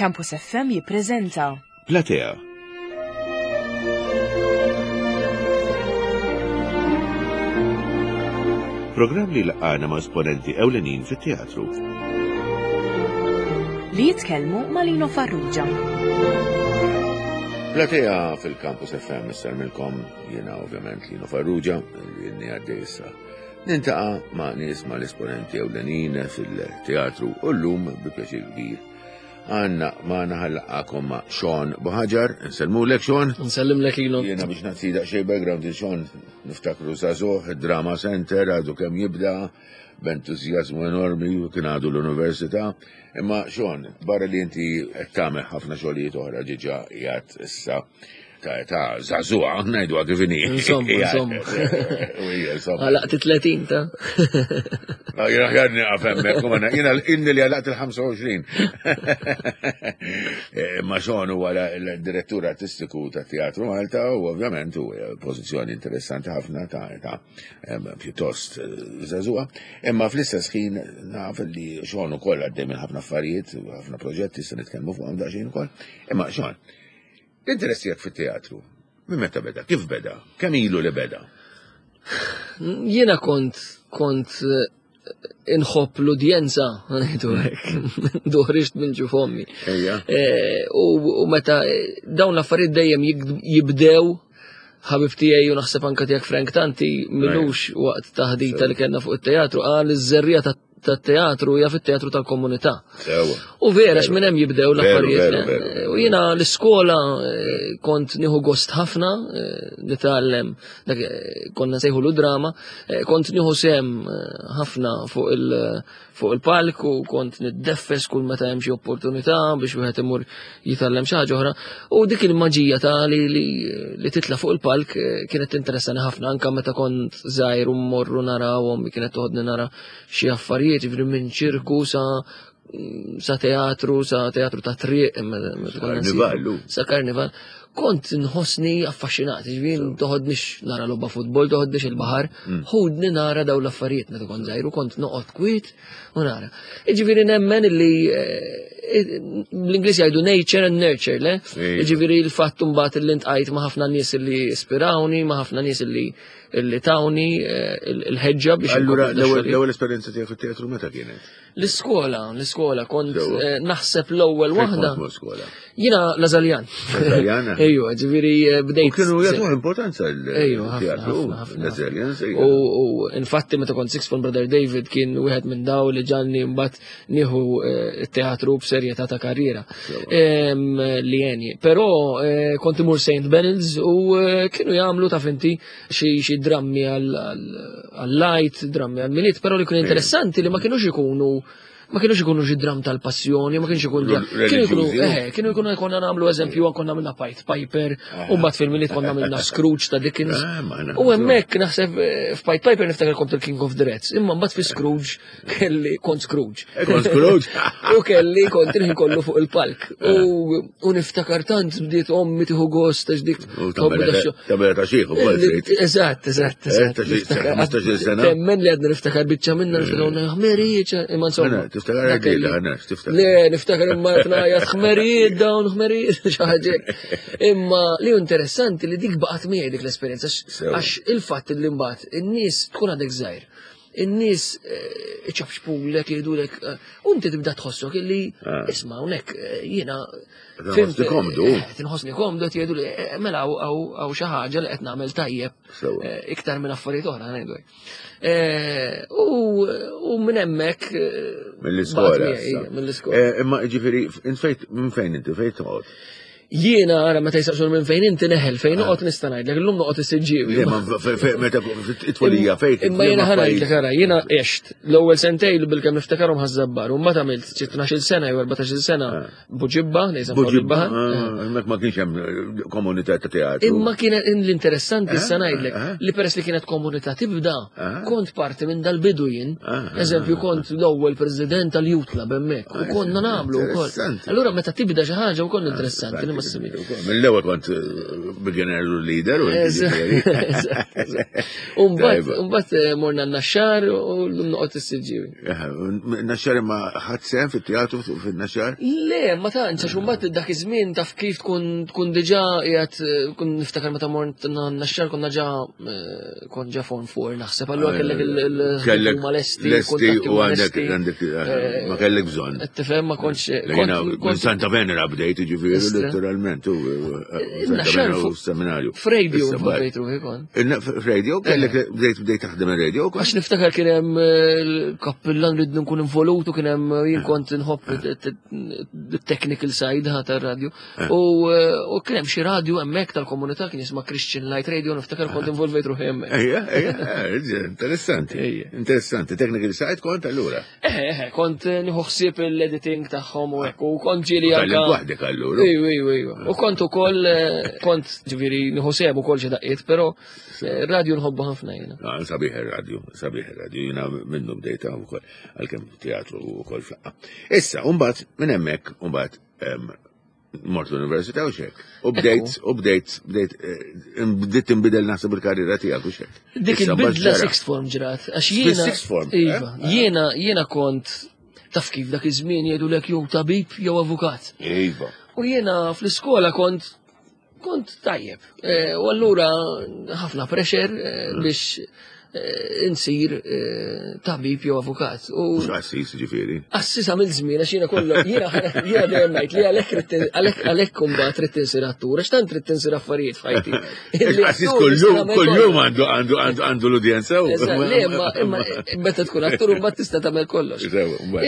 Campus FM jippreżenta Platea. Programm li laqana ma' esponenti ewlenin fit-teatru. Li jitkellmu ma' Lino Farrugia. Platea fil-Campus FM issarmilkom jiena ovvjament Lino Farrugia li jenni għaddej issa. Nintaqa' ma' nies ma' l-esponenti ewlenin fil-teatru u llum bi pjaċir kbir. Għanna ma' naħallaqakom ma' Sean Buħaġar, nsellmulek Sean. Nsellimlek Lino. Jiena biex nagħti daqsxejn background il Sean niftakru żagħżugħ, Drama Center għadu kemm jibda b'entużjażmu enormi u kien għadu l-università. Imma Sean, barra li inti qed tagħmel ħafna xogħlijiet oħra ġiġa qiegħed issa ta' età żagħżugħa, ngħiduha kif inhi. Insomma, insomma. Għalaqt 30 ta' Jiena ħjar nieqaf hemmhekk, u jiena inni li għalaqt il-25. Eh, ma Sean huwa l-direttur artistiku ta' Teatru Malta u ovvjament u pożizzjoni interessanti ħafna ta' età pjuttost eh, żagħżugħa. Imma fl-istess ħin naf li Sean ukoll għaddej minn ħafna affarijiet, ħafna proġetti se nitkellmu fuqhom daqsxejn ukoll. Imma Sean, L-interess tiegħek fit-teatru, minn meta beda? Kif beda? Kemm ilu li beda? Jiena kont kont eh, inħobb l-udjenza, ngħidu hekk, duħriġt minn ġuf ommi. Eh, u meta eh, dawn l-affarijiet dejjem jibdew ħabib tiegħi u naħseb anke tiegħek Frank Tanti milux waqt taħdita li kellna fuq it-teatru qal iż-żerrija ta' tat-teatru hija fit-teatru tal-komunità. U vera minn hemm jibdew l-affarijiet. Eh, u jiena l-iskola eh, kont nieħu gost ħafna eh, nitgħallem konna sejħu drama, kont nieħu sem ħafna fuq il- fuq il-palk u kont niddeffes kull meta hemm xi opportunità biex wieħed imur jitgħallem xi ħaġa oħra. U dik il-maġija ta' li, li, li titla' fuq il-palk kienet tinteressani ħafna anke meta kont żgħir u mmorru narawhom kienet toħodni nara xi affarijiet, jiġifieri minn ċirku sa sa teatru, sa teatru ta' triq, sa karnival. Kont nħossni affaxxinat, ġifieri toħodnix nara logħba futbol, toħodnix il-baħar, mm. ħudni nara daw l-affarijiet meta kont żgħir u kont noqgħod kwiet u nara. Jiġifieri nemmen illi eh, l-Ingliż jgħidu nature and nurture, le? Jiġifieri l-fatt mbagħad li ntqajt ma' ħafna nies li ispirawni, ma' ħafna nies li li tawni eh, il-ħeġġa biex. Allura l-ewwel esperjenza tiegħek fit-teatru meta kienet? L-iskola, l-iskola kont eh, naħseb l-ewwel waħda. Jiena Lażaljan. Lażaljan? Ejwa, ġifieri eh, bdejt. Kienu jagħtu importanza l-teatru Lażaljan. U infatti meta kont Six Form Brother David kien wieħed minn daw li ġanni mbagħad nieħu eh, teatru b'serjetà ta' karriera li jeni. Però eh, kont imur St. Benils u eh, kienu jagħmlu ta' finti xi drammi għal-light, drammi għal-miliet, però li kien interessanti li ma kienux ikunu ma kienux ikunu xi dram tal-passjoni, ma kienx ikun kienu ikunu eh, kienu ikunu konna nagħmlu eżempju konna għamilna Pied Piper, u mbagħad fil-miliet konna għamilna Scrooge ta' Dickens. Eh, u hemmhekk naħseb f'Pied Piper niftakar kont il-King of the Rats, imma mbagħad fi Scrooge kelli kont Scrooge. Eh, kont Scrooge? U kelli kont il-ħin kollu fuq il-palk. Eh. U niftakar tant bdiet ommi tieħu gost għax dik. Tabela ta' xieħ ukoll. Eżatt, eżatt, eh, eżatt. Temmen li għadna niftakar biċċa minna niftakar ħmerijiet, imma insomma. Tiftakar għadila, għanax, tiftakar. Le, niftakar imma tnajja ħmerijiet dawn ħmerijiet xi ħaġa. Imma li interessanti li dik baqgħet miegħi dik l-esperjenza għax il-fatt li mbagħad in-nies tkun għadek żgħir in-nies eh, iċabxpulek, jgħidulek, eh, u inti tibda tħossok illi eh. isma' hawnhekk jiena Tinħossni komdu. Tinħossni komdu qed jgħidu li mela hawn xi ħaġa li qed nagħmel tajjeb iktar minn affarijiet oħra ngħidu. U minn hemmhekk mill-iskola. Mill-iskola. Imma ġifieri minn fejn inti fejn toqgħod? Jiena ara meta jisaqsun minn fejn inti neħel fejn ah. noqgħod nista' ngħidlek illum noqgħod is-siġġiewi. Meta it-tfulija fejn. Imma jiena ħa ngħidlek ara jiena għext l-ewwel sentejn bilkemm niftakarhom ħaż-żabbar u mbagħad għamilt xi 12-il sena jew 14-il sena ah. Buġibba, nejsa Buġibba. Ah, hemmhekk ma kienx hemm eh, komunità ta' teatru. Imma kienet l-interessanti issa ngħidlek li peress li kienet komunità tibda, kont parti minn dal-bidu jien. Eżempju kont l-ewwel president tal-Youth Club hemmhekk u konna nagħmlu wkoll. Allura meta tibda xi ħaġa wkoll interessanti li ma ssibx. Mill-ewwel kont eh, beginner leader u Mbagħad eh, morna n-naxxar u llum noqgħod. Kont is-Siġġiewi. Naxxar imma ħadd sehem fit-teatru fin-Naxxar? Le, ma tantx għax imbagħad dak iż-żmien taf kif tkun tkun diġà qiegħed kun niftakar meta mort Naxxar konna ġa eh, kont ġa form four naħseb allura ah, kellek il huma lesti, lesti u għandek għandek eh, ma kellek bżonn. Tifhem ma kontx. Minn Santa Venera bdejt ġifieri letteralment u eh, Santa Venera u seminarju. F'radio bdejt ruħi kont. Radio, kellek bdejt bdejt taħdem ir-radio. Għax niftakar kien hemm eh, l-kappillan rid nkun involut u kien hemm eh, jien kont nħobb technical side ħa tar-radio. Eh. U kien hemm xi radio hemmhekk tal-komunità kien jisma' Christian Light Radio niftakar kont involvejt ruħi hemmhekk. Ejja, ejja, interessanti. Interessanti, technical side kont allura. Eħe, eħe, kont nieħu ħsieb l-editing tagħhom u hekk, u kont ġieli anke. Waħdek allura. Ejju, ejju, ejju. U kont ukoll eh, kont ġifieri nieħu sehem ukoll xi daqqiet, però eh, radio nħobbu ħafna jiena. Ah, sabiħ ir-radio, sabiħ ir-radio, jiena minnu bdejta wkoll għalkemm teatru wkoll flaqqa. Issa, mbagħad minn hemmhekk, mbagħad mort l-università u xek. U bdejt, u bdejt, bdejt, eh, bdejt tinbidel naħseb il-karriera tiegħek u xek. Dik il-bidla sixth form ġrat. Għax jiena. Sixth form. Eh? Iva, jiena, jiena kont taf kif dak iż-żmien jgħidulek jew tabib jew avukat. Iva. U jiena fl-iskola kont kont tajjeb. Eh, u allura ħafna pressure mm. biex eh, insir tabib jew avukat. U Mhux qassis ġifieri. Qassis għamil żmien għax jiena kollu jiena jiena dejjem ngħid li għalhekk għalhekk għalhekk imbagħad trid tinsir attur għax tant trid tinsir affarijiet f'ħajti. Qassis kullum kullum għandu għandu għandu għandu l-udjenza. Le imma imma meta tkun attur imbagħad tista' tagħmel kollox.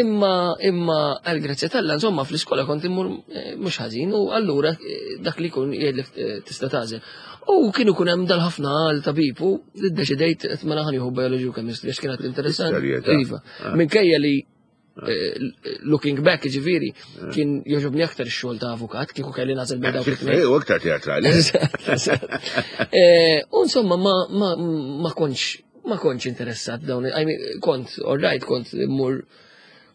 Imma imma għal grazzja tal insomma fl-iskola kont immur mhux ħażin u allura eh, dak li jkun jgħidlek eh, tista' tagħżel. U kienu kun hemm dal-ħafna għal tabib u ddeċidejt qed mela ħanieħu biology u chemistry għax kienet interessanti. Iva. Ah. Minkejja li ah. eh, looking back ġifieri ah. kien joġobni aktar ix-xogħol ta' avukat kieku kelli nagħżel bejn dawk it-tnejn. U aktar teatrali. U insomma ma kontx ma kontx interessat dawn, kont all right, kont immur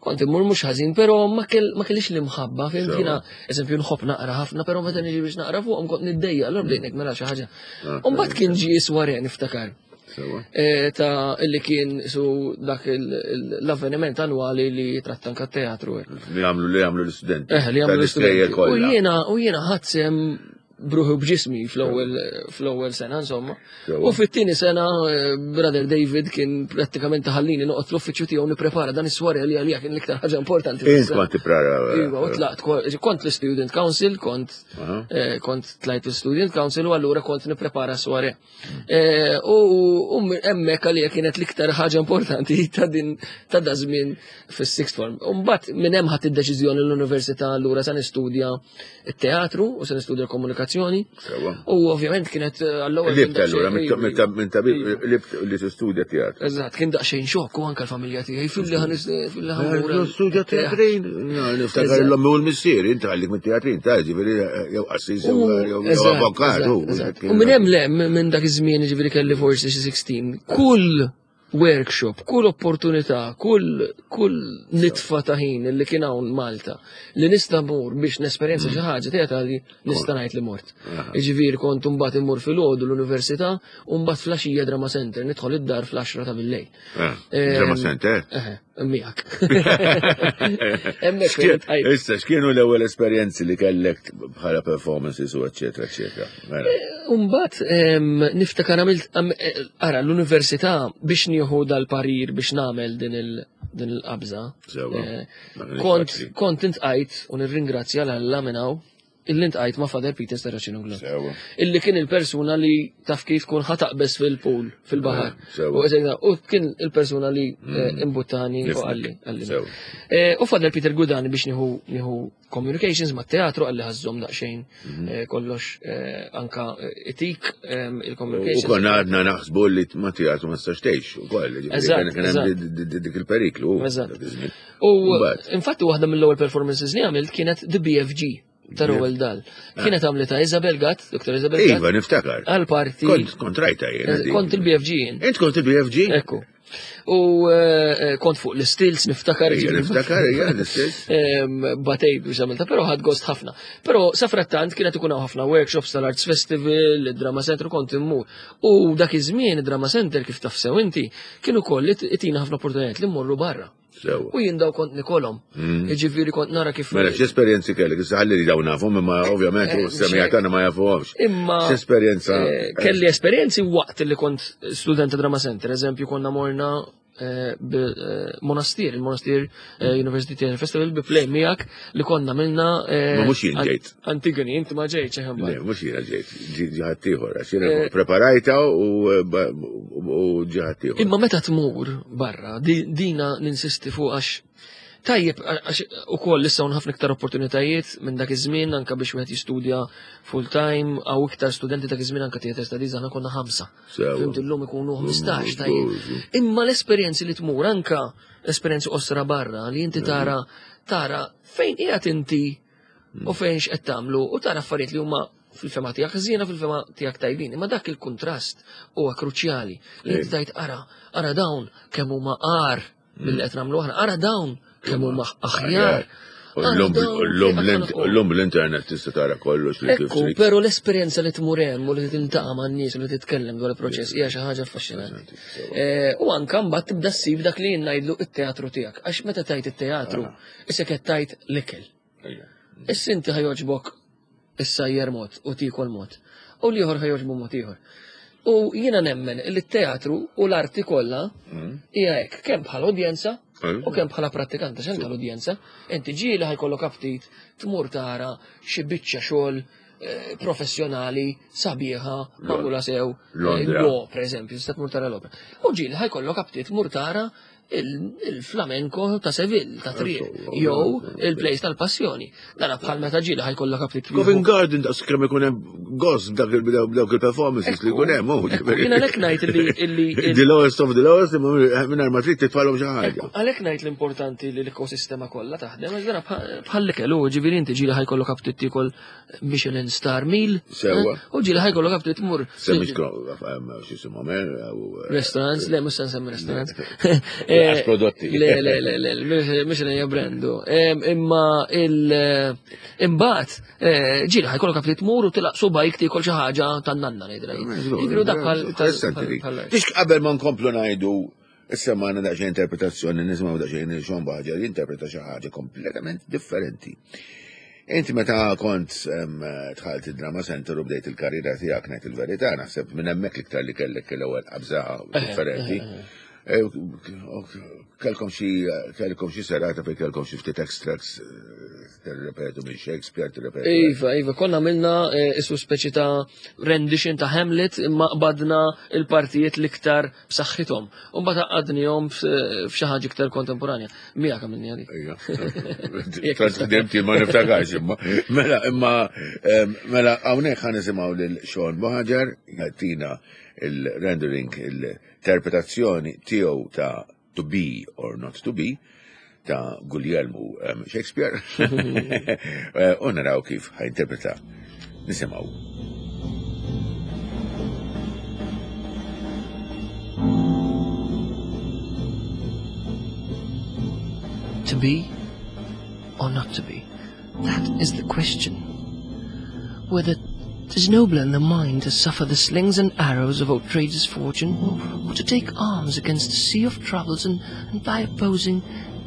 kont immur mhux ħażin, però ma kellix l-imħabba, fim jiena eżempju nħobb naqra ħafna, però meta niġi biex naqra fuqhom kont niddejja, allura bdejt mela xi ħaġa. Ah, u mbagħad kien ġie sware niftakar. Eh, ta' illi kien su dak l-avveniment annwali li tratta anka teatru. Li għamlu li għamlu l-istudenti. Eh, li għamlu l-istudenti. U jiena u jiena ħadd bruħu b'ġismi fl-ewwel sena insomma. U fit-tieni sena eh, Brother David kien prattikament taħallini noqgħod fl-uffiċċju tiegħu nipprepara dan is-swar li għalija kien l-iktar ħaġa importanti. Int kont tipprepara. Iva, u tlaqt kont l-Student Council, kont eh, kont tlajt l-Student Council u allura kont nipprepara sware. Eh, u hemmhekk għalija kienet l-iktar ħaġa importanti ta' din ta' da żmien fis-sixth form. U mbagħad minn hemm ħadd id-deċiżjoni l-università allura se nistudja t-teatru u se nistudja l-komunikazzjoni. U ovvjament kienet eh, għall-ewwel. Libt allura minn tabib libt li tistudja teatru. Eżatt, kien daqsxejn xokk u anke l-familja tiegħi fil-li ħan fil-li ħan. Eh, studja teatrin, niftakar l-ommi u l-missier, inti għallik mit-teatrin, ta' ġifieri jew qassis jew avokat. U minn hemm le minn dak iż-żmien ġifieri kelli forsi xi 16, kull workshop, kull opportunità, kull kull nitfa ta' ħin li kien hawn Malta li nista' mur biex nesperjenza xi ħaġa teatrali nista' ngħid li mort. Jiġifieri kont imbagħad immur filgħodu l-università u mbagħad flaxija Drama Center nidħol id-dar fl-10 ta' billejl. Ah, Drama Center? Miegħek. Issa, x'kienu l-ewwel esperjenzi li kellek bħala performances u eċetera, eċetera. Mela. Eh, Umbagħad niftakar għamilt eh, ara l-università biex nieħu dal-parir biex nagħmel din il-qabża. Eh, kont kont intqajt u nirringrazzja l-Alla minn hawn illi ntqajt ma' Father Peter Serracino Glon. Illi kien il-persuna li taf kif kun ħataqbes fil-pool, fil-bahar. U kien il-persuna li eh, mm. imbuttani u għalli. Eh, u Father Peter Gudani biex nieħu communications ma' teatru għalli ħazzom daqsxejn mhm. eh, kollox anka etik il-communications. U konna għadna naħsbu li ma teatru ma tistax tgħix ukoll. Kien hemm dik il-periklu. U infatti waħda mill-ewwel performances li għamilt kienet The BFG. Ta' Roald Dahl. Kienet għamlita Isabel Gatt, Dr. Isabel Gatt. Iva, niftakar. Għal parti. Kont kont rajta jien. Eh, kont il-BFG jien. Int kont il-BFG? Ekku. U eh, eh, kont fuq l-istils niftakar. Niftakar, ija, l-istils. Batej biex għamilta, pero ħad gost ħafna. Pero safrattant kienet ikun ħafna workshops tal-Arts Festival, il-Drama Center, kont immur. U dak iż-żmien id-Drama Center kif taf sew inti, kienu koll itina ħafna opportunitajiet li mmorru barra. Sewa. U jien daw kont nikolhom. Mm. Jiġifieri kont nara kif. Mela x'esperjenzi kellek, issa ħalli li dawn nafhom imma ovvjament u eh, semija tagħna ma jafuhomx. Imma x'esperjenza. Eh, kelli esperjenzi waqt li kont student ta' Drama Center, eżempju konna morna eh, monastir, il-Monastir University Theatre Festival bi play miegħek li konna minna. Ma mhux jien ġejt. Antigoni, inti ma ġejtx eħem. Le, mhux jiena ġejt, ġiħat ieħor, għax jiena eh, preparajta u ġiħat ieħor. Imma meta tmur barra, dina ninsisti fuq għax tajjeb għax ukoll issa hawn ħafna iktar opportunitajiet minn dak iż-żmien anke biex wieħed jistudja full time għaw iktar studenti dak iż-żmien anke theatre studies aħna konna ħamsa. Fimt illum ikunu 15 tajjeb. Imma l-esperjenzi li tmur anka esperjenzi qosra barra li inti tara tara fejn qiegħed inti u fejn x'qed tagħmlu u tara affarijiet li huma fil-fema tiegħek ħżiena fil-fema tiegħek tajbin. Imma dak il-kuntrast huwa kruċjali li inti tajt ara, ara dawn kemm huma qar milli qed nagħmlu aħna, ara dawn kemm huma aħjar. L-lum l-internet tista' tara kollox li kif. Però l-esperjenza li tmur hemm u li tintaqa' man-nies u li titkellem dwar il-proċess hija xi ħaġa affaxxinanti. Eh, u anke mbagħad tibda ssib dak li jien ngħidlu it-teatru tiegħek. Għax meta tajt it-teatru, ah. issa qed tajt l-ikel. Issa inti ħajoġbok issajjer mod u tiekol mod. U l-ieħor ħajoġbu mod ieħor. U jiena nemmen li t-teatru u l-arti kollha mm. hija hekk kemm bħala udjenza mm. u kemm bħala prattikanta x'anke l-udjenza, inti ġieli ħajkollok aptit tmur tara xi biċċa xogħol eh, professjonali sabiħa magħmula sew eh, l-opra eżempju, tista' tmur tara l-opra. U ġieli ħajkollok aptit tmur tara il-flamenco ta' Seville, ta' triq, jew il-plejs tal-passjoni. Dana bħal meta ġieli ħajkollok aptit. Covent Garden daqs kemm ikun hemm gost dawk il-performances li jkun hemm. Jien għalhekk ngħid li The lowest of the lowest mingħajr ma trid titfalhom xi ħaġa. Għalhekk ngħid l-importanti li l-ekosistema kollha taħdem, għax dana bħal l-ikel u ġifieri inti ġieli ħajkollok aptit tiekol Michelin star meal. Sewa. Eh, u ġieli ħajkollok għabti tmur. Semmix x'isimhom, eh, eh, Restaurants, le, mhux se nsemmi restaurants. Għax prodotti. Le, le, le, le, Michelin hija brandu. Imma il imbagħad ġieli ħajkollok għabti tmur u tilaq subajk tiekol xi ħaġa tan-nanna ngħidilha. Jiġifieri dak bħal. Tix qabel ma nkomplu ngħidu Issa ma għandna daqsxejn interpretazzjoni, nisimgħu daqsxejn Sean Baġer jinterpreta xi ħaġa kompletament differenti. Inti meta kont dħalt id-Drama Center u bdejt il-karriera tiegħek ngħid il-verità, naħseb minn hemmhekk l-iktar li kellek l-ewwel qabża differenti. Eh, kellkom xi kellkom xi serata fejn kellkom xi ftit extracts eh, tirrepetu minn Shakespeare, tirrepetu. Iva, iva, konna għamilna eh, isu speċi ta' rendition ta' Hamlet imma qbadna il-partijiet l-iktar b'saħħithom. U mbagħad għaqqadnihom f'xi ħaġa iktar kontemporanja. Miegħek għamilni għalik. Tant ħdimt ma niftakarx imma. Mela, imma mela hawnhekk ħa nisimgħu lil Sean Buhaġar jagħtina il-rendering, il-interpretazzjoni tiegħu ta' To Be or Not to Be ta' Guglielmu Shakespeare. Eh, u naraw kif ħajinterpreta. Nisimgħu. To be or not to be? That is the question. Whether 'tis nobler in the mind to suffer the slings and arrows of outrageous fortune, or, or to take arms against a sea of troubles and, and by opposing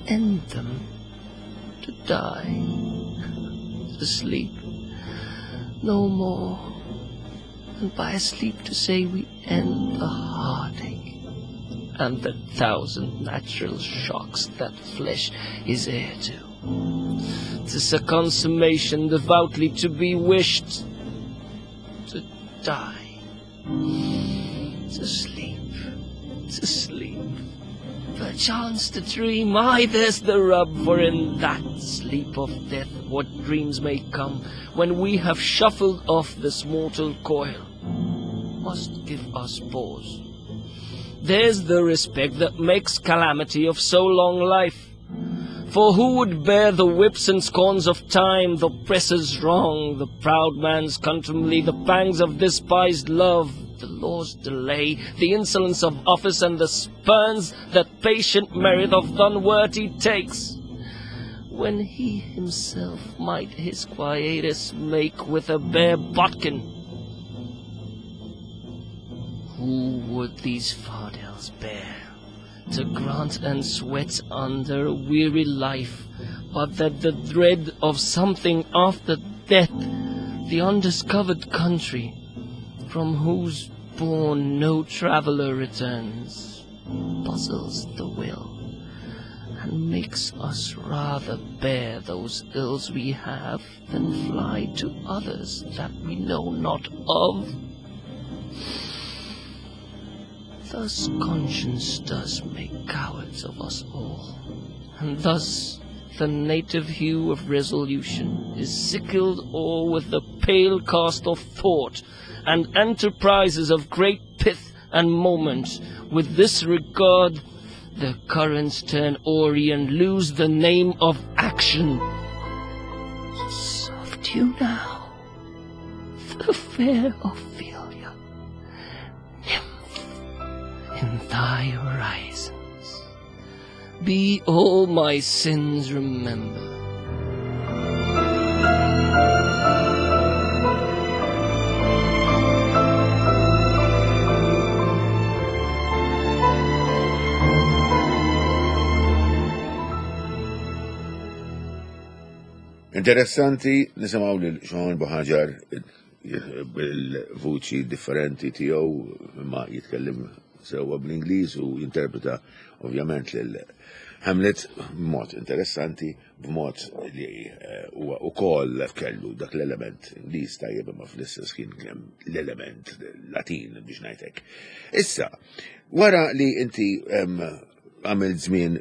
end them. To die, to sleep, no more, and by a sleep to say we end the heartache and the thousand natural shocks that flesh is heir to. Tis a consummation devoutly to be wished, to die, to sleep, to sleep, perchance to dream. Aye, there's the rub, for in that sleep of death what dreams may come when we have shuffled off this mortal coil must give us pause. There's the respect that makes calamity of so long life. For who would bear the whips and scorns of time, the oppressor's wrong, the proud man's contumely, the pangs of despised love, the law's delay, the insolence of office, and the spurns that patient merit of the unworthy takes? When he himself might his quietus make with a bare bodkin. Who would these fardels bear, to grant and sweat under a weary life, but that the dread of something after death, the undiscovered country, from whose bourne no traveller returns, puzzles the will, and makes us rather bear those ills we have than fly to others that we know not of? Thus conscience does make cowards of us all, and thus the native hue of resolution is sickled o'er with the pale cast of thought, and enterprises of great pith and moment. With this regard, the currents turn awry and lose the name of action. Soft you now, the fair Ophelia, nymph in thy horizons. Be all my sins remembered. Interessanti nisimgħu lil Sean Buhaġar bil-vuċi differenti tiegħu ma jitkellem sewwa bl-Ingliż u jinterpreta ovvjament lil Hamlet b'mod interessanti, b'mod li eh, huwa ukoll kellu dak l-element Ingliż tajjeb imma fl-istess ħin kemm l-element Latin biex ngħidlek. Issa, wara li inti għamilt żmien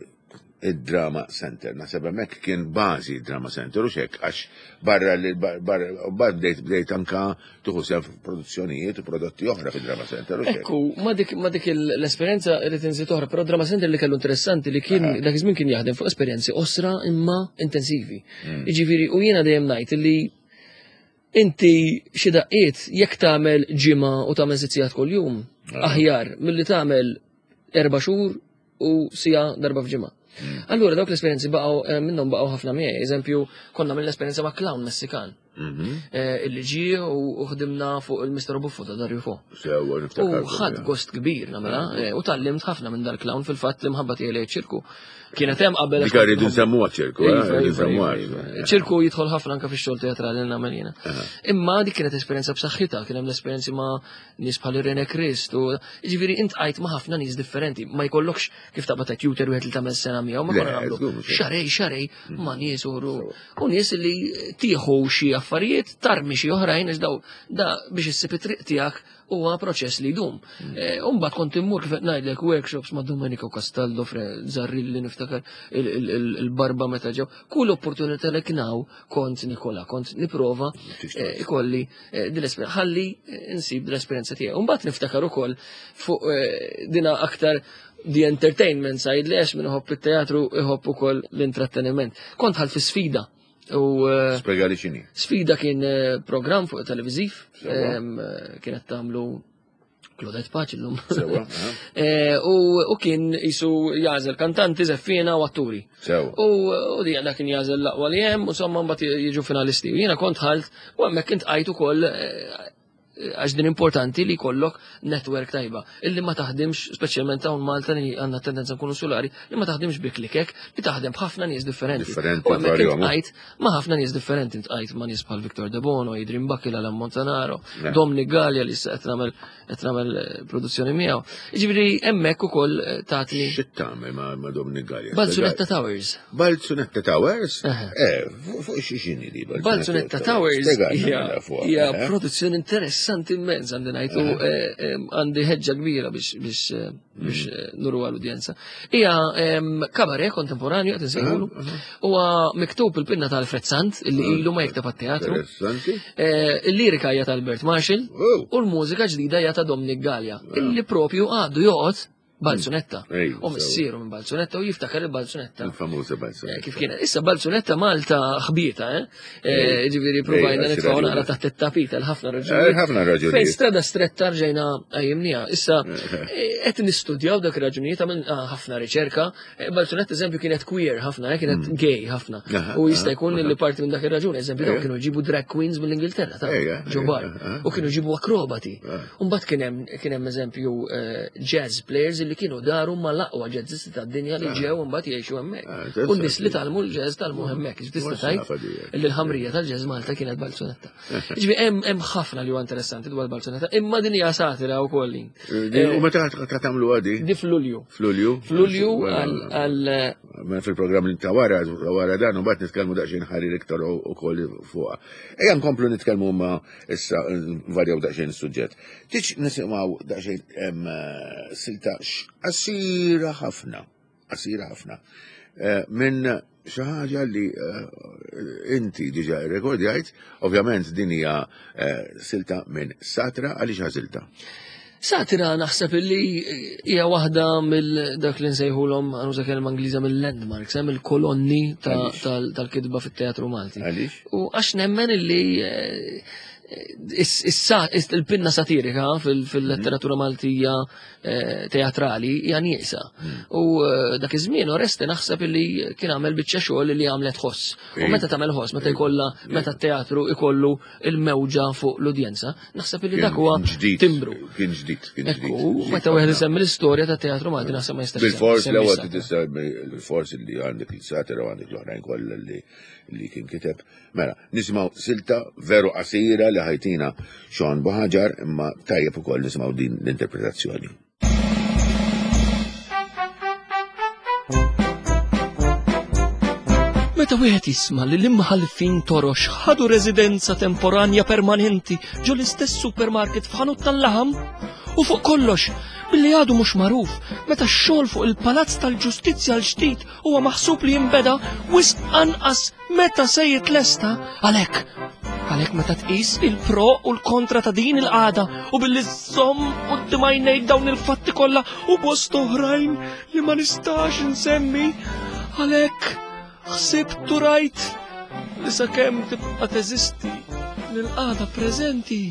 id-Drama Center. Naħseb hemmhekk kien bażi Drama Center u xek għax barra li barra bdejt bdejt anka tuħu sew produzzjonijiet u prodotti oħra fid-Drama Center u xek. Ekku, ma dik ma dik l-esperjenza irid inżid oħra, però Drama Center li kellu interessanti li kien dak iż-żmien kien jaħdem fuq esperjenzi osra imma intensivi. Mm. Jiġifieri u jiena dejjem ngħid li inti xi daqqiet jekk tagħmel ġimgħa u tagħmel sitt sigħat kuljum aħjar milli tagħmel erba' xhur u sija darba f'ġimgħa. Hmm. Allura dawk l-esperjenzi baqgħu eh, minnhom baqgħu ħafna miegħi. Eżempju, konna mill esperjenza ma' clown Messikan. Mhm. Eh, illi ġie u ħdimna fuq il-Mr. Buffo ta' Dario Fo. U ħadd gost kbir nagħmilha eh, u tallimt ħafna minn dal-clown fil-fatt li mħabba tiegħi ċirku. Kienet hemm qabel. Dik rridu nsemmuha ċirku, iva, iva, iva, ċirku jidħol ħafna anke fix-xogħol teatrali nagħmel jiena. Imma dik kienet esperjenza b'saħħitha, kien hemm l-esperjenzi ma' nies bħal Irene Krist u ġifieri int qajt ma' ħafna nies differenti, ma jkollokx kif taqbad ta' tutor wieħed li tagħmel sena miegħu, ma konna nagħmlu xarej xarej mm. ma' nies u u nies li tieħu xi affarijiet tarmi xi oħrajn għax daw da biex issib it-triq tiegħek huwa proċess li jdum. Mm. Eh, Umbagħad kont immur kif qed ngħidlek workshops ma' Domenico Castaldo Zarrilli niftakar il-barba meta ġew. Kull opportunità li knaw kont Nikola, kont niprova eh, ikolli eh, din l-esperjenza, ħalli eh, insib din l-esperjenza tiegħi. Mbagħad niftakar ukoll fuq eh, dina aktar the entertainment side li għax minn iħobb it-teatru iħobb ukoll l-intratteniment. Kont ħal fi sfida. U Spjega li x'inhi. Sfida kien programm fuq televiżiv, kienet tagħmlu Claudette Paċ illum. Eh, u kien jisu jażel kantanti, zeffina u atturi. U di għanda kien jażel l-aqwa li hemm, u somma mbagħad jiġu finalisti. U jiena kont ħalt u hemmhekk kint qajt ukoll eh, għax din importanti li kollok network tajba. Illi ma taħdimx, speċjalment hawn Malta li għandna tendenza nkunu solari, li ma taħdimx bi klikek, li taħdem b'ħafna nies differenti. Differenti. U hemmhekk intqajt ma' ħafna nies differenti, intqajt ma' nies bħal Victor De Bono, Adrian Bakila, Alan Montanaro, Dominic Gallia li issa qed nagħmel qed nagħmel eh, produzzjoni miegħu. Jiġifieri hemmhekk ukoll eh, tatni. Xi tagħmel ma' Dominic Gallia? Balzunetta Towers. Balzunetta Towers? Eh, fuq xi xini di Balzunetta Towers hija eh. produzzjoni interessanti immens għandi ngħidu għandi ħeġġa kbira biex biex biex mm. eh, nuru għal-udjenza. Hija kabaret kontemporanju qed insejħulu. Huwa miktub il-pinna ta' Alfred Sant illi ah, ilu ma jikteb għat-teatru. Eh, il-lirika hija ta' Albert Marshall oh. u l-mużika ġdida hija ta' Dominic Gallia ah. illi propju għadu joqgħod Balzunetta. U missieru minn Balzunetta u jiftakar il-Balzunetta. Il-famuża Balzunetta. Eh, kif kienet. Issa Balzunetta Malta ħbieta, eh? eh ġifieri provajna nitfgħu naqra taħt it-tapita l-ħafna raġunijiet. Eh, ħafna raġunijiet. Fejn strada stretta rġejna qajjimniha. Issa qed nistudjaw dak ir-raġunijiet għamilna ħafna riċerka. Balzunetta eżempju kienet queer ħafna, kienet mm. gay ħafna. U jista' jkun li parti minn dak ir-raġuni, eżempju dawk kienu jġibu drag queens mill-Ingilterra ta' ġobar. U kienu jġibu akrobati. Umbagħad kien hemm kien hemm eżempju eh, jazz players li kienu daru ma l-aqwa jazzisti tad-dinja li ġew imbagħad jgħixu hemmhekk. Ah, U n-nies li talmu l-jazz talmu hemmhekk. Tista' tgħid li l-ħamrija tal-jazz Malta kienet balzunetta. Ġifi hemm ħafna li huwa interessanti dwar balzunetta, imma din hija satira wkoll. Eh, u meta ta' tagħmlu għadi? Di f'Lulju. F'Lulju? F'Lulju għal Mela fil-programm li ta' wara, wara dan, u mbagħad nitkellmu daqsxejn ħarir iktar ukoll fuqha. Ejja nkomplu nitkellmu ma' issa varjaw daqsxejn is-suġġett. Tiġ nisimgħu daqsxejn eh, silta qasira ħafna, qasira ħafna, eh, minn xi ħaġa li eh, inti diġà rrekordjajt, ovvjament din hija silta minn Satra għaliex għażilta. Satira naħseb illi hija waħda mill dak li nsejħulhom għanuża kelma Ingliża mill-landmarks, hemm il-kolonni tal-kitba fit-teatru Malti. U għax nemmen illi Issa il-pinna satirika fil-letteratura Maltija eh, teatrali hija nieqsa. Hmm. U eh, dak iż-żmien Oreste naħseb li kien għamel biċċa xogħol li għamlet ħoss. U meta tagħmel ħoss, meta jkollha meta t-teatru ikollu il-mewġa fuq l-udjenza, naħseb li dak huwa timbru. Kien ġdid, kien ġdid. Meta wieħed isemmi l-istorja ta' teatru Malti naħseb ma jistax. Bil-fors l-ewwel tisemmi l-fors li għandek il-satira u għandek l-oħrajn kollha li kien kiteb. Mela, nisimgħu silta veru qasira li ħajtina Sean Buhaġar imma tajjeb ukoll nisimgħu din l-interpretazzjoni. Meta wieħed jisma' li l-imħallfin torox ħadu residenza temporanja permanenti ġo l-istess supermarket f'ħanut tal-laħam, u fuq kollox, billi għadu mhux magħruf meta x-xogħol fuq il-Palazz tal-Ġustizzja l-ġdid huwa maħsub li jinbeda wisq anqas meta se jitlesta għalhekk. Għalhekk meta tqis il-pro u l-kontra ta' din il-qagħda u billi żomm quddiem għajnejk dawn il-fatti kollha u bost oħrajn li ma nistax insemmi, għalhekk ħsibt u rajt li sakemm tibqa' teżisti l-qagħda preżenti.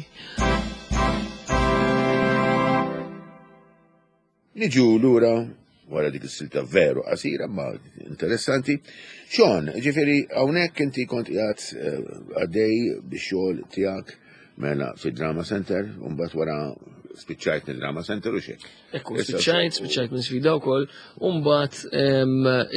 Niġu lura wara dik is-silta veru qasira ma interessanti. Sean, ġifieri hawnhekk inti kont qiegħed eh, għaddej bix-xogħol tiegħek mela fid-Drama Center, u mbagħad wara spiċċajt mid-Drama Center u xek. Ekku, spiċċajt, spiċċajt minn sfida wkoll, u mbagħad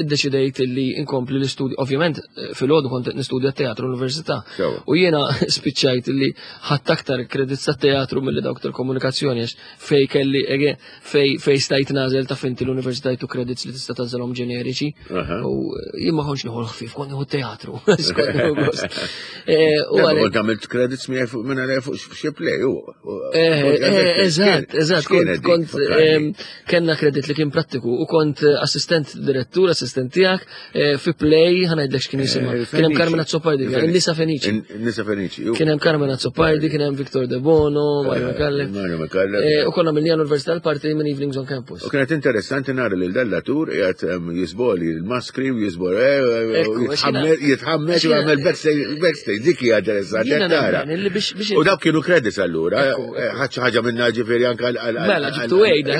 iddeċidejt li inkompli l-istudju, ovvjament eh, fil-għodu kont nistudja teatru l-università. U jiena spiċċajt li ħadd aktar kredits tat-teatru milli dawk tal-komunikazzjoni għax fej kelli ege fej fej stajt nażel ta' finti l-università jtu credits li tista' tażelhom ġeneriċi. U eh, jien ma kontx nieħu l-ħfif, kont nieħu teatru. Eh, u għalhekk għamilt credits minn għalija fuq xi play. Eh, eżatt, eżatt, kont kellna credit li kien prattiku u kont assistent direttur, assistent tiegħek Eh, fi play, ħanajdlek x'kien jisimha. Eh, kien hemm Carmen Azzopardi, Nisa Fenici. Nisa Fenici. Kien hemm Carmen Azzopardi, kien hemm Victor De Bono, Mario eh, Micallef. Mario Micallef. U konna mill Università l-parti minn Evenings on Campus. U kienet interessanti nara lil dallatur qiegħed ehm, jisboli l-maskri u jisboli jitħammeġ u jagħmel backstage, dik hija interessanti tara. U dawk kienu credits allura, ħadd xi ħaġa minna ġifieri anke għal. Mela ġibtu għejda.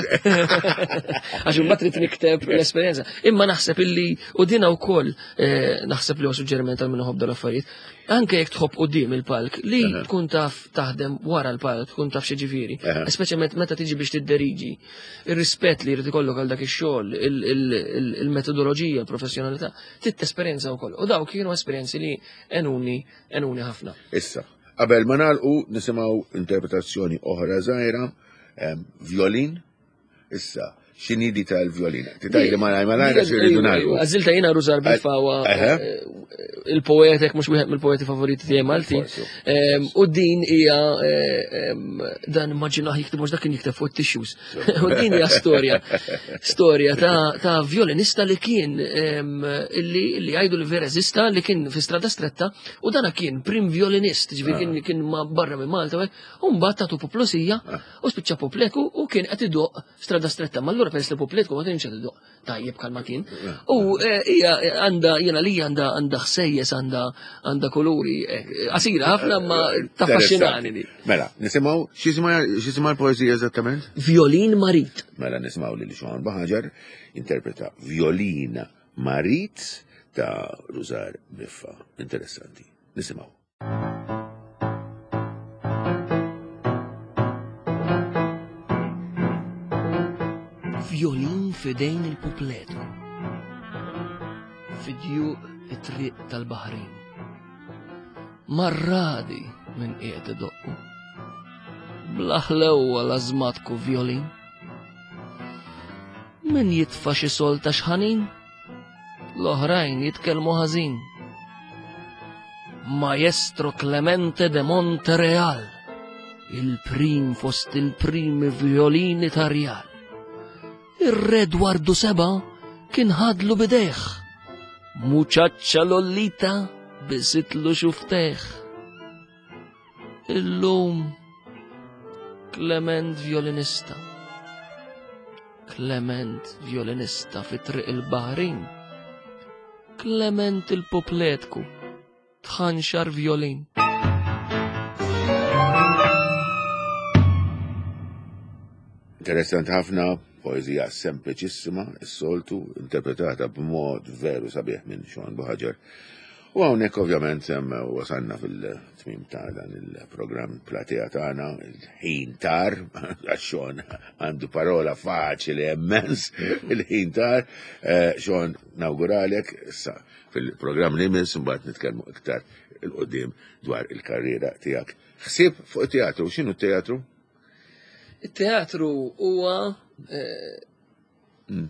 Għax imbagħad trid nikteb l-esperjenza. Imma naħseb illi u dina wkoll eh, naħseb li huwa suġġeriment għal min iħobb dal-affarijiet. Anke jekk tħobb quddiem il-palk li tkun taf taħdem wara l-palk, tkun taf xi ġifieri. Speċjalment meta tiġi biex tidderiġi. Ir-rispett li jrid ikollok għal dak ix-xogħol, il-metodoloġija, il-professjonalità, trid tesperjenza wkoll. U dawk kienu esperjenzi li enuni enuni ħafna. Issa, qabel ma nagħlqu nisimgħu interpretazzjoni oħra żgħira, violin Issa, x'inhi di tal-violina? Titajli malaj malaj għax irridu nagħlqu. Għażilta jiena Rużar Bifawa eh, il-poetek mhux wieħed mill-poeti favoriti tiegħi Malti. Ehm, u din hija eh, ehm, dan immaġinaħ jikteb mhux dak kien jikteb fuq tissues. U din hija storja. Storja ta' violinista li kien ehm, li jgħidu li vera eżista li kien fi strada stretta u dana kien prim violinist, ġifieri ah. kien barra minn Malta, u mbagħad tagħtu poplusija ah. U spiċċa popleku u kien qed idoq strada stretta. Ma allura Allura peress li puplitku ma kienx qed idoqq tajjeb bħalma kien. U eh, hija eh, għandha jiena li għandha għandha ħsejjes għandha għandha kuluri eh, qasira ħafna ma taffaxxinani di. Mela, nisimgħu x'jisimha l-poeżija eżattament? Violin Marit. Mela nisimgħu lil Sean Baħaġar interpreta Violin Marit ta' Rużar Biffa. Interessanti. Nisimgħu. Violin fidejn il-pupletu. Fidju it-triq tal-Baħrin. Marradi minn qiegħed idoqqu. Bla ħlewwa lażmatku violin. Min jitfa' xi solta xħanin? L-oħrajn jitkellmu ħażin. Maestro Clemente de Montereal, il-prim fost il-primi violini ta' Rjal. Ir-re Dwardu Seba kien ħadlu bidejh. Muċaċċa Lollita bisitlu xuftejh. Illum Clement violinista. Clement violinista fi triq il-Baħrin. Clement il-popletku tħanxar violin. Interessanti ħafna, poezija sempliċissima, is-soltu, interpretata b'mod veru sabiħ minn Sean Buħaġar. U hawnhekk ovvjament wasalna fil-tmim ta' dan il-programm Platea tagħna, il-ħin tar, għax Sean għandu parola faċili immens, il-ħin tar. Eh, Sean, nawguralek, issa fil-programm li jmiss mbagħad nitkellmu iktar il-qudiem dwar il-karriera tiegħek. Ħsieb fuq it-teatru, x'inhu t-teatru? Il-teatru huwa eh,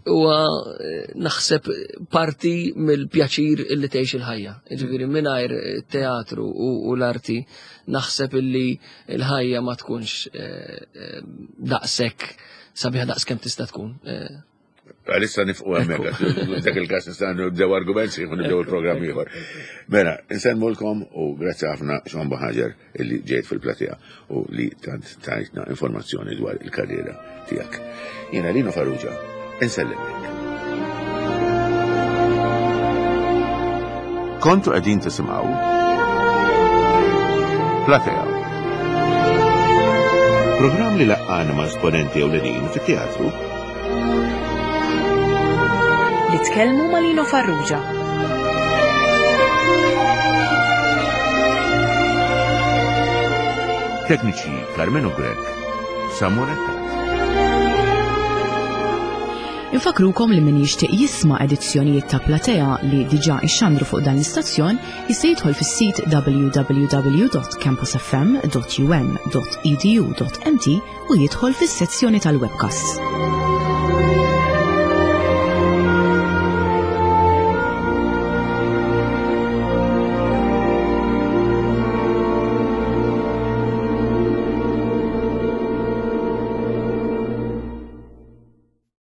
huwa eh, naħseb parti mill-pjaċir illi tgħix il-ħajja. Ġifieri mingħajr teatru u l-arti naħseb illi l-ħajja ma tkunx eh, daqshekk sabiħa daqs kemm tista' tkun. Għalissa nifqu hemmhekk, dak il-każ nista' nibdew argument sieħ nibdew il-programm ieħor. Mela, insellmulkom u grazzi ħafna Sean Buhaġar illi ġejt fil-platea u li tant tajtna informazzjoni dwar il-karriera tiegħek. Jiena Lino Farrugia, insellimlek. Kontu qegħdin tisimgħu Platea. Programm li laqqana ma' esponenti ewlenin fit-teatru Nitkellmu ma' Lino Farrugia. Tekniċi Carmenu Grech, Samuel Attat. Infakrukom li min jixtieq jisma' edizzjonijiet ta' Platea li diġà ixxandru fuq dan l-istazzjon jista' jidħol fis-sit www.campusfm.um.edu.mt u jidħol fis-sezzjoni tal-webcasts.